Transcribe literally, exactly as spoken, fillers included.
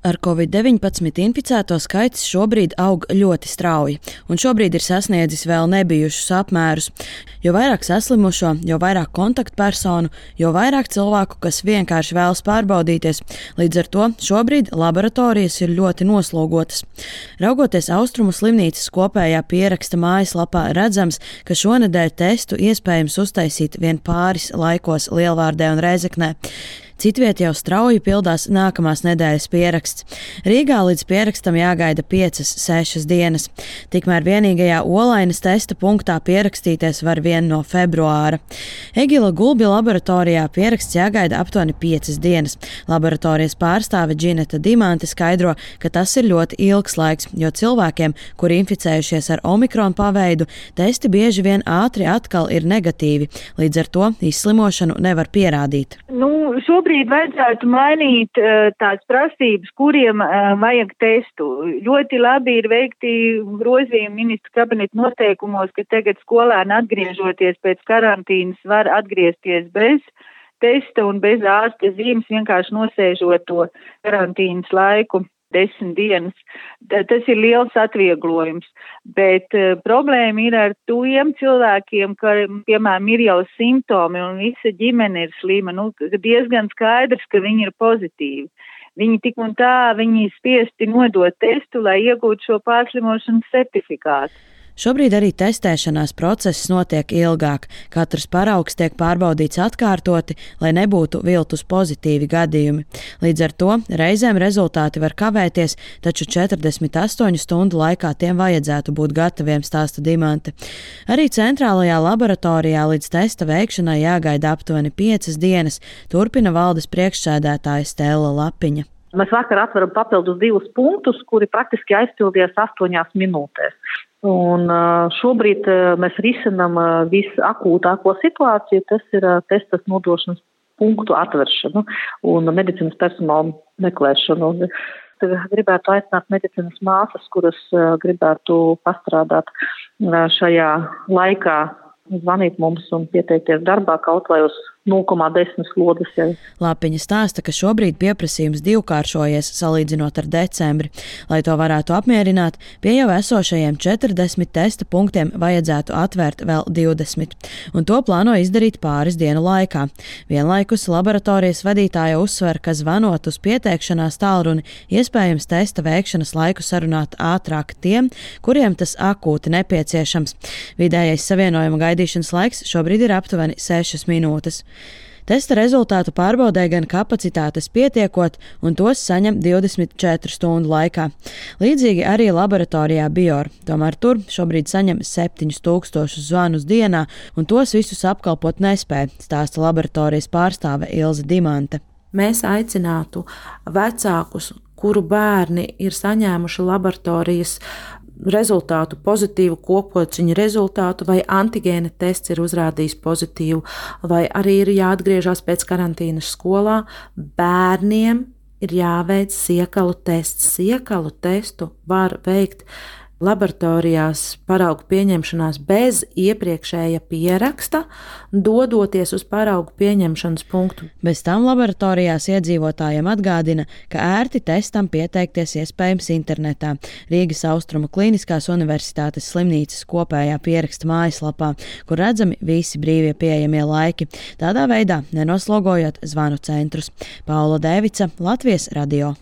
Ar covid deviņpadsmit inficēto skaits šobrīd aug ļoti strauji, un šobrīd ir sasniedzis vēl nebijušus apmērus. Jo vairāk saslimušo, jo vairāk kontaktpersonu, jo vairāk cilvēku, kas vienkārši vēlas pārbaudīties. Līdz ar to šobrīd laboratorijas ir ļoti noslogotas. Raugoties Austrumu slimnīcas kopējā pieraksta mājaslapā, redzams, ka šonedēļ testu iespējams uztaisīt vien pāris laikos Lielvārdē un Rēzeknē. Citviet jau strauji pildās nākamās nedēļas pieraksts. Rīgā līdz pierakstam jāgaida piecas, sešas dienas. Tikmēr vienīgajā Olainas testa punktā pierakstīties var vien no februāra. Egila Gulbja laboratorijā pieraksts jāgaida aptuveni piecas dienas. Laboratorijas pārstāve Džineta Dimante skaidro, ka tas ir ļoti ilgs laiks, jo cilvēkiem, kuri inficējušies ar Omikron paveidu, testi bieži vien ātri atkal ir negatīvi. Līdz ar to izslimošanu nevar pierādīt. Nu, šobrīd vajadzētu mainīt uh, tās prasības, kuriem uh, vajag testu. Ļoti labi ir veikti grozījumi ministru kabineta noteikumos, ka tagad skolēni atgriežoties pēc karantīnas var atgriezties bez testa un bez ārsta zīmes, vienkārši nosēžot to karantīnas laiku. Desmit dienas. Tas ir liels atvieglojums, bet uh, problēma ir ar tiem cilvēkiem, ka, piemēram, ir jau simptomi un visa ģimene ir slima, nu, diezgan skaidrs, ka viņi ir pozitīvi. Viņi tik un tā, viņi spiesti nodot testu, lai iegūtu šo pārslimošanas certifikātu. Šobrīd arī testēšanās process notiek ilgāk. Katrs paraugs tiek pārbaudīts atkārtoti, lai nebūtu viltus pozitīvi gadījumi. Līdz ar to reizēm rezultāti var kavēties, taču četrdesmit astoņu stundu laikā tiem vajadzētu būt gataviem, stāsta Dimante. Arī centrālajā laboratorijā līdz testa veikšanai jāgaida aptuveni piecas dienas, turpina valdes priekšsēdētāja Stella Lapiņa. Mēs vakar atveram papildus divus punktus, kuri praktiski aizpildījās astoņās minūtēs. Un šobrīd mēs risinām visakūtāko situāciju, tas ir testas nodošanas punktu atveršanu un medicīnas personāla meklēšanu. Gribētu aicināt medicīnas māsas, kuras gribētu pastrādāt šajā laikā, zvanīt mums un pieteikties darbā kaut vai uz nulle komā desmit slodzes. Ja. Lapiņa stāsta, ka šobrīd pieprasījums divkāršojies salīdzinot ar decembri. Lai to varētu apmierināt, pie jau esošajiem četrdesmit testa punktiem vajadzētu atvērt vēl divdesmit, un to plāno izdarīt pāris dienu laikā. Vienlaikus laboratorijas vadītāja uzsver, ka zvanot uz pieteikšanās tālruni, iespējams testa veikšanas laiku sarunāt ātrāk tiem, kuriem tas akūti nepieciešams. Vidējais savienojuma gaidīšanas laiks šobrīd ir aptuveni sešas minūtes. Testa rezultātu pārbaudē gan kapacitātes pietiekot, un tos saņem divdesmit četru stundu laikā. Līdzīgi arī laboratorijā Bior, tomēr tur šobrīd saņem septiņus tūkstošus zvanus dienā, un tos visus apkalpot nespēj, stāsta laboratorijas pārstāve Ilze Dimante. Mēs aicinātu vecākus, kuru bērni ir saņēmuši laboratorijas rezultātu, pozitīvu kopociņu rezultātu, vai antigēna tests ir uzrādījis pozitīvu, vai arī ir jāatgriežas pēc karantīnas skolā. Bērniem ir jāveic siekalu tests. Siekalu testu var veikt laboratorijās paraugu pieņemšanās bez iepriekšēja pieraksta, dodoties uz paraugu pieņemšanas punktu. Bez tam laboratorijās iedzīvotājiem atgādina, ka ērti testam pieteikties iespējams internetā Rīgas Austrumu Kliniskās Universitātes slimnīcas kopējā pieraksta mājaslapā, kur redzami visi brīvie pieejamie laiki, tādā veidā nenoslogojot zvanu centrus. Paula Dēvica, Latvijas radio.